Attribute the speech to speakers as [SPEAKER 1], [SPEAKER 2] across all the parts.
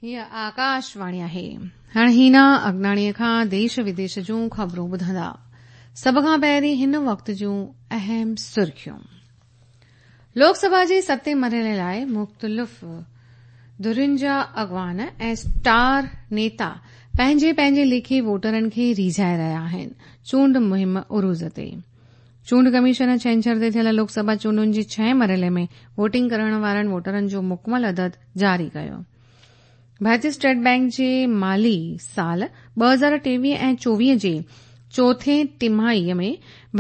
[SPEAKER 1] هيء آڪاشواڻي آهي. هاڻ هينا اگناڻيء کان ديش وديش جون خبرون ٻڌندا. سڀ کان پهرين هن وقت جون اهم سرخيون. لوڪ سڀا جي ستين مرحلي لاء مختلف ڌرين جا اڳواڻ ۽ اسٽار نيتا پنهنجي پنهنجي ليکي ووٽرن کي ريجهائي رهيا آهن. چونڊ مهم عروج تي. چونڊ ڪميشن ڇنڇر تي ٿيل لوڪ سڀا چونڊن جي ڇهين مرحلي ۾ ووٽنگ ڪرڻ وارن ووٽرن جو مڪمل عدد جاري ڪيو. ڀارتي اسٽيٽ بئنڪ جي مالي سال 2023 ۽ 24 جي چوٿين ٽماهي ۾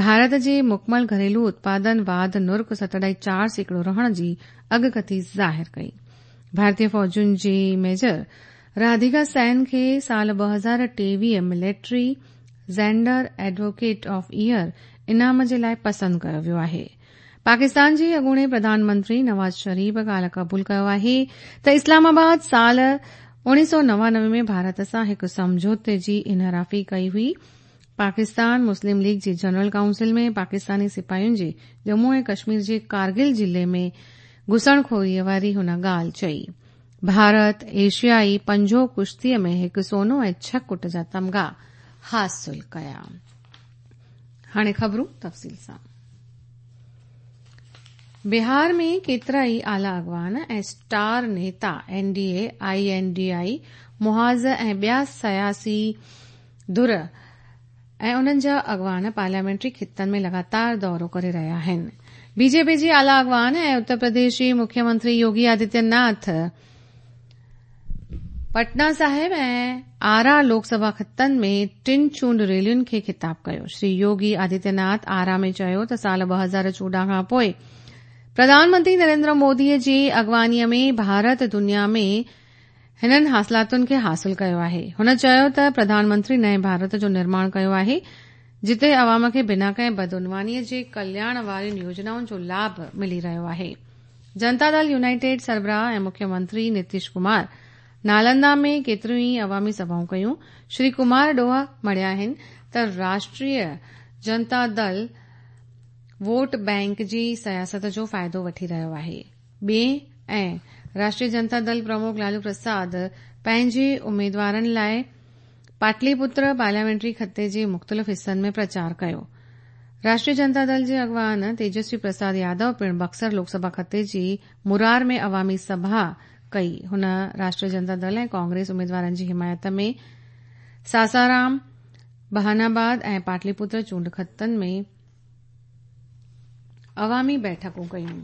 [SPEAKER 1] ڀارت جي مڪمل گهريلو اتپادن واڌ نرخ 7.4% رهڻ جي اڳڪٿي ظاهر ڪئي. ڀارتي فوجن جي ميجر راڌيڪا سين کي سال 2023 military gender advocate of year انعام جي لاء پسند ڪيو ويو آهي. پاڪستان جي اڳوڻي پرڌان منتري نواز شريف ڪالهه قبول ڪيو آهي ته اسلام آباد سال 1999 ۾ ڀارت سان هڪ سمجهوتي جي انحرافي ڪئي هئي. پاڪستان مسلم ليگ جي جنرل ڪائونسل ۾ پاڪستاني سپاهين جي ڄمون ۽ ڪشمير جي ڪارگل ضلعي ۾ گهسڻخوري واري هن ڳالهه چئي. ڀارت ايشيائي پنجو ڪشتي ۾ هڪ سونو ۽ ڇهه ڪٽ جا تمغا حاصل ڪيا. هاڻي خبرون تفصيل سان. بهار ۾ ڪيترائي اعليٰ اڳواڻ ۽ star Nita N D A, I N D I محاذ ۽ ٻيا سياسي ڌر ۽ انهن جا اڳواڻ پارليامينٽري خطن ۾ لڳاتار دورو ڪري رهيا آهن. بي جي پي جي اعليٰ اڳواڻ ۽ اتر پرديش جي مکيه منتري يوگي آدتيه ناٿ پٽنا صاحب ۽ آرا لوڪ سڀا خطن ۾ ٽن چونڊ ريلين کي خطاب ڪيو. شري يوگي آدتيه ناٿ آرا ۾ چيو ته سال 2014 کان پوء پرڌان منتري نريندر مودي جي اڳواڻي ۾ ڀارت دنيا ۾ هنن حاصلاتن کي حاصل ڪيو آهي. هن چيو ته پرڌان منتري نئين ڀارت جو نرماڻ ڪيو آهي جتي عوام کي بنا ڪنهن بدعنواني جي ڪلياڻ وارين يوجنائن جو لاڀ ملي رهيو آهي. جنتا دل يونائيٽيڊ سربراهه ۽ مکيه منتري نتيش ڪمار نالندا ۾ ڪيتريون ئي عوامي سڀائون ڪيون. شري ڪمار ڏوهه مڙهيا آهن ته راشٽريه جنتا دل ووٽ بئنڪ جي سياست جو فائدو وٺي رهيو آهي. ٻئي ۽ راشٽريه جنتا دل پرمک لالو پرساد پنهنجي اميدوارن لاء پاٽلي پتر پارليامينٽري خطي جي مختلف حصن ۾ پرچار ڪيو. راشٽريه جنتا دل جي اڳواڻ تيجسوي پرساد يادو پڻ بڪسر لوڪ سڀا خطي جي مرار ۾ عوامي سڀا ڪئي. هن راشٽريه جنتا دل ۽ ڪانگريس اميدوارن جي حمايت ۾ ساسارام، بهاناباد ۽ پاٽلي پتر چونڊ خطن ۾ عوامي بيٺڪون ڪيون.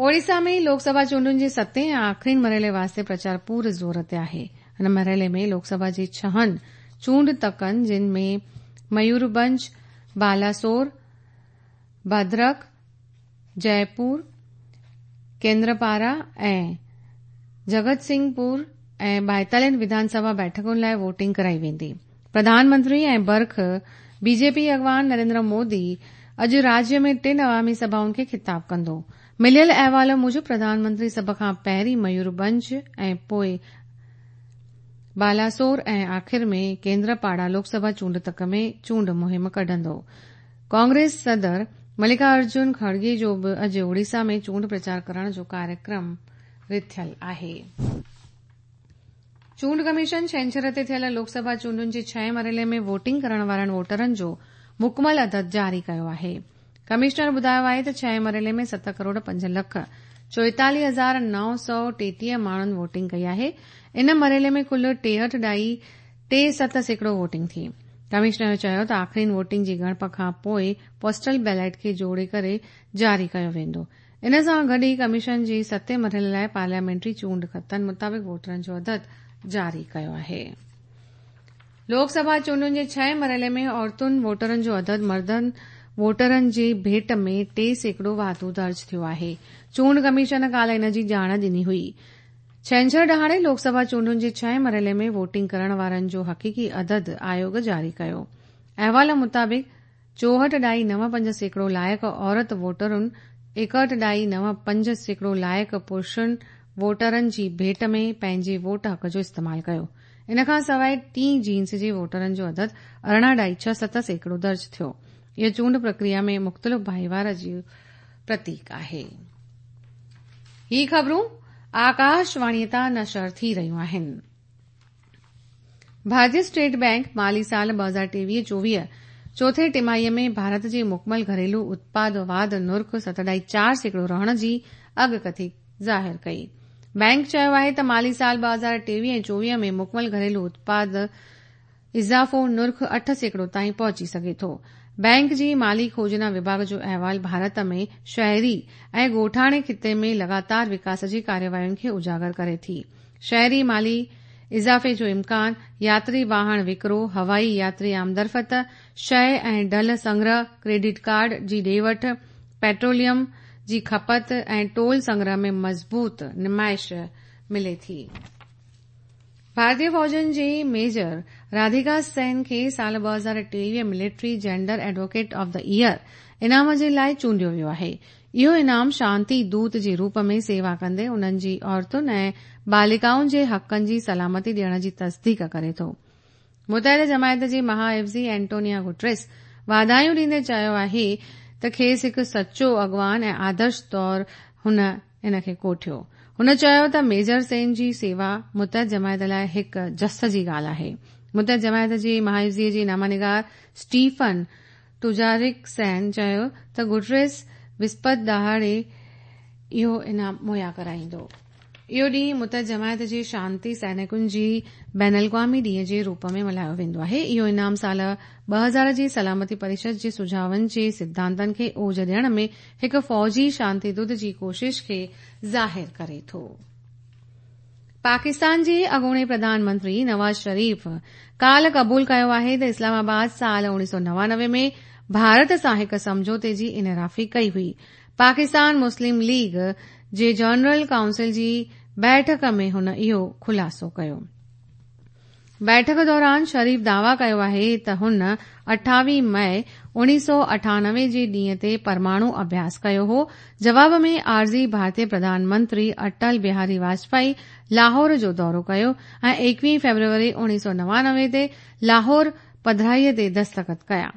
[SPEAKER 1] اوڙيسا ۾ لوڪ سڀا چونڊن جي ستين ۽ آخرين مرحلي واسطي پرچار پور زور تي آهي. هن مرحلي ۾ لوڪ سڀا جي ڇهن چونڊ تڪن جن ۾ ميوربنج، بالاسور، ڀدرڪ، جئپور، ڪيندرپارا ۽ جگت سنگهه پور ۽ ٻائيتاليهن وڌان سڀا بيٺڪن لاء ووٽنگ ڪرائي ويندي. پرڌان منتري ۽ برک بي جي پي اڳواڻ نريندر مودي اڄ راجيه ۾ ٽن عوامي سڀائن کي خطاب ڪندو. مليل احوال موجب پرڌان منتري سڀ کان پهرين ميوربنج ۽ پوء بالاسور ۽ آخر ۾ ڪيندرپاڙا لوڪ سڀا چونڊ تڪ ۾ چونڊ مهم ڪڍندو. ڪانگريس صدر ملڪا ارجن کڙگي جو به اڄ اوڙيسا ۾ چونڊ پرچار ڪرڻ جو ڪاريڪرم رٿيل آهي. چونڊ ڪميشن ڇنڇر تي ٿيل لوڪ سڀا چونڊن جي ڇهين مرحلي ۾ ووٽنگ ڪرڻ وارن ووٽرن جو مڪمل عدد جاري ڪيو آهي. ڪمشنر ٻڌايو آهي ته ڇهين مرحلي ۾ ست ڪروڙ پنج لک چوئيتاليهه هزار 933 ماڻهن ووٽنگ ڪئي آهي. ان مرحلي ۾ ڪل ٽيهٺ ڏهائي ٽي ست سيڪڙو ووٽنگ ٿي. ڪمشنر چيو ته آخرين ووٽنگ جي ڳڻپ کان پوء پوسٽل بيلٽ کي جوڙي ڪري جاري ڪيو ويندو. ان سان گڏ ئي ڪميشن جي ستين مرحلي لاء پارليامينٽري چونڊ خطن مطابق ووٽرن جو عدد جاري ڪيو آهي. لوڪ سڀا چونڊن جي ڇهين مرحلي ۾ عورتن ووٽرن جو عدد مردن ووٽرن جي ڀيٽ ۾ 3% واڌو درج ٿيو آهي. چونڊ ڪميشن ڪالهه ان جي ڄاڻ ڏني هئي. ڇنڇر ڏهاڙي لوڪ سڀا چونڊن جي ڇهين مرحلي ۾ ووٽنگ ڪرڻ وارن جو حقيقي عدد آيوڳ جاري ڪيو. احوال مطابق چوهٺ ڏهائي نو پنج سيڪڙو لائق عورت ووٽرن ايڪهٺ ڏهائي نو پنج سيڪڙو لائق پرشن ووٽرن جي ڀيٽ ۾ پنهنجي ووٽ حق جو استعمال ڪيو. ان کان سواء ٽين جنس جي ووٽرن جو عدد ارڙهن ڏهائي ڇهه ست سيڪڙو درج ٿيو. اهو چونڊ پرڪريا ۾ مختلف ڀائيوار جو پرتيڪ آهي. هي خبرون آڪاشواڻي تان نشر ٿي رهيون آهن. ڀارتي اسٽيٽ بئنڪ مالي سال 2023-24 چوٿين ٽماهيء ۾ ڀارت جي مڪمل گهريلو اتپاد واڌ نرخ 7.4% رهڻ جي اڳڪٿي ظاهر ڪئي. بئنڪ چيو آهي ته مالي سال 2023 ۽ 24 ۾ مڪمل گهريلو اتپاد اضافو نرخ 8% تائين پهچي سگهي ٿو. بئنڪ جي مالي کوجنا وڀاڳ جو احوال ڀارت ۾ شهري ۽ ڳوٺاڻي خطي ۾ لڳاتار وڪاس جي ڪاررواين کي اجاگر ڪري ٿي. شهري مالي اضافي جو امڪان، ياتري واهڻ وڪرو، هوائي ياتري آمدرفت، شيء ۽ ڍل سنگرهه، ڪريڊٽ ڪارڊ جي ڏي وٺ، پيٽروليم جي کپت ۽ ٽول سنگرهه ۾ مضبوط نمائش ملي ٿي. ڀارتي فوجن جي ميجر راڌيڪا سين کي سال 2023 military gender advocate of the year انعام جي لاء چونڊيو ويو آهي. اهو انعام شانتي دوت جي روپ ۾ سيوا ڪندي انهن جي عورتن ۽ بالڪائن جي حقن جي سلامتي ڏيڻ جي تصديق ڪري ٿو. متحده جماعت جي مها عيوضي اينٽونيا گوٽريس واڌايون ڏيندي چيو آهي ته کيس هڪ سچو اڳواڻ ۽ آدرش طور هن ان کي ڪوٺيو. هن چيو ته ميجر سين جي سيوا متحده جماعت لاء هڪ جس جي ڳالهه آهي. متحده جماعت جي مهاعيوضي جي نامه نگار اسٽيفن ٽوجارڪ سين چيو ته گوٽريس وسپت ڏهاڙي اهو انعام مهيا ڪرائيندو. اهو ڏينهن متحده جماعت جي شانتي سئنڪن جي بين الاقوامي ڏينهن جي روپ ۾ ملهايو ويندو آهي. اهو انعام سال 2000 جي سلامتي پريشد جي سجهاون جي سڌانتن کي اوج ڏيڻ ۾ هڪ فوجي شانتي دوت جي ڪوشش کي ظاهر ڪري ٿو. پاڪستان جي اڳوڻي پرڌان منتري نواز شريف ڪالهه قبول ڪيو آهي ته اسلام آباد سال 1999 ۾ ڀارت سان هڪ سمجهوتي جي انحرافي ڪئي هئي. پاڪستان مسلم ليگ جي جنرل ڪائونسل جي بيٺڪ ۾ هن اهو خلاصو ڪيو. بيٺڪ دوران شريف دعويٰ ڪيو آهي ته هن 28 مئي 1998 جي ڏينهن تي پرماڻو اڀياس ڪيو هو، جواب ۾ عارضي ڀارتي پرڌان منتري اٽل بهاري واجپائي لاهور جو دورو ڪيو ۽ 21 فيبروري 1999 تي لاهور پڌرائي تي دستخط ڪيا.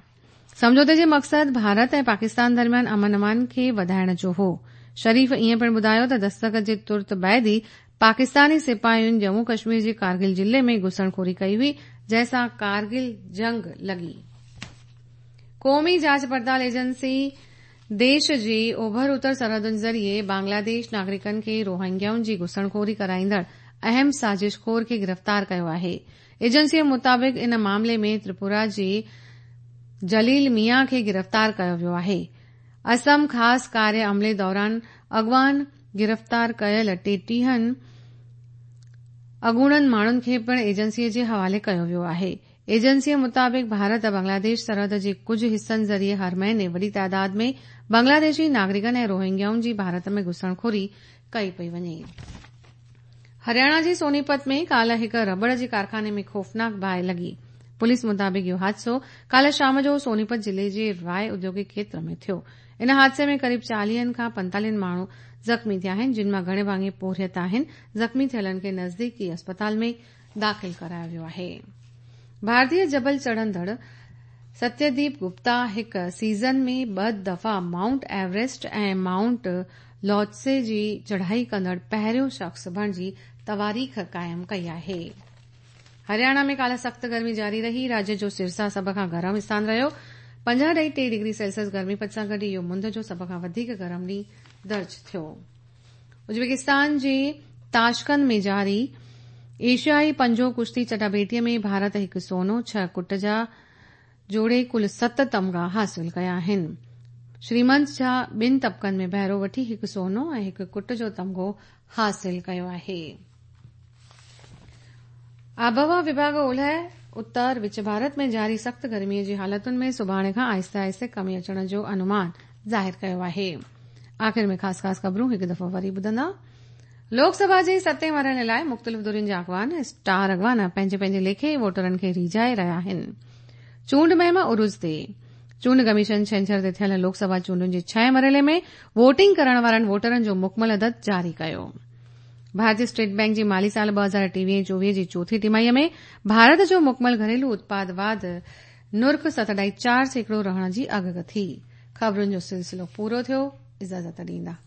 [SPEAKER 1] سمجهوتي جي مقصد ڀارت ۽ پاڪستان درميان امن امان کي وڌائڻ جو هو. شريف ائين پڻ ٻڌايو ته دستخط جي ترت بعد ئي پاڪستاني سپاهين ڄمون ڪشمير جي ڪارگل ضلعي ۾ گهسڻخوري ڪئي هئي جنهن سان ڪارگل جنگ لڳي. قومي جاچ پڙتال ايجنسي ديش جي اوڀر اتر سرحدن ذريعي بنگلاديش ناگرڪن کي روهنگيائن جي گهسڻخوري ڪرائيندڙ اهم سازش خور کي گرفتار ڪيو آهي. ايجنسيء مطابق ان معاملي ۾ تريپورا جي جليل ميان کي گرفتار ڪيو ويو آهي. اسم خاص ڪاريه عملي دوران اڳواڻ گرفتار ڪيل ٽيٽيهن اڳوڻن ماڻهن کي پڻ ايجنسيء جي حوالي ڪيو ويو آهي. ايجنسيء مطابق ڀارت بنگلاديش سرحد جي ڪجهه حصن ذريعي هر مهيني وڏي تعداد ۾ بنگلاديشي ناگرڪن ۽ روهنگيائن جي ڀارت ۾ گهسڻخوري ڪئي پئي وڃي. هرياڻا جي سونيپت ۾ ڪالهه هڪ رٻڙ جي ڪارخاني ۾ خوفناڪ باهه لڳي. پوليس مطابق اهو حادثو ڪالهه شام جو سونيپت ضلعي جي راء اديوگڪ کيتر ۾ ٿيو. ان حادثي ۾ قريب چاليهن کان پنتاليهن ماڻهو زخمي ٿيا آهن، جن مان گهڻي ڀاڱي پورهيت آهن. زخمي ٿيلن کي نزديڪي اسپتال ۾ داخل ڪرايو ويو آهي. ڀارتي جبل چڙهندڙ ستيديپ گپتا هڪ سيزن ۾ ٻه دفعا مائونٽ ايوريسٽ ۽ مائونٽ لوتسي جي چڙهائي ڪندڙ پهريون شخص بڻجي تواريخ قائم ڪئي آهي. هرياڻا ۾ ڪالهه سخت گرمي جاري رهي، راجيه جو سرسا سڀ کان گرم اسٿان رهيو، 50.3 ڊگري سيلسيس گرمي پد سان گڏ اهو مند جو سڀ کان وڌيڪ گرم ڏينهن درج ٿيو. ازبڪستان جي تاشقند ۾ جاري ايشيائي پنجو ڪشتي چٽاڀيٽي ۾ ڀارت هڪ سونو، ڇهه ڪٽ جا جوڙي ڪل ست تمغا حاصل ڪيا آهن. شريمنت جها ٻن طبقن ۾ بهرو وٺي هڪ سونو ۽ هڪ ڪٽ جو تمغو حاصل ڪيو آهي. آبهوا وڀاڳ اولهه اتر وچ ڀارت ۾ جاري سخت گرمي جي حالتن ۾ سڀاڻي کان آهستي آهستي ڪمي اچڻ جو انومان ظاهر ڪيو آهي. آخر ۾ خاص خاص خبرون هڪ دفعو وري ٻڌندا. لوڪ سڀا جي ستين مرحلي لاء مختلف ڌرين جا اڳواڻ اسٽار اڳواڻ پنهنجي پنهنجي ليکي ووٽرن کي ريجهائي رهيا آهن. چونڊ مهم عروج تي. چونڊ ڪميشن ڇنڇر تي ٿيل لوڪ سڀا چونڊن جي ڇهين مرحلي ۾ ووٽنگ ڪرڻ وارن ووٽرن جو مڪمل عدد جاري ڪيو. ڀارتي اسٽيٽ بئنڪ جي مالي سال 2023 24 جي چوٿين ٽماهي ۾ ڀارت جو مڪمل گهريلو اتپاد واڌ نرخ 7.4% رهڻ جي اڳڪٿي. خبرن جو سلسلو پورو ٿيو. اجازت ڏيندا.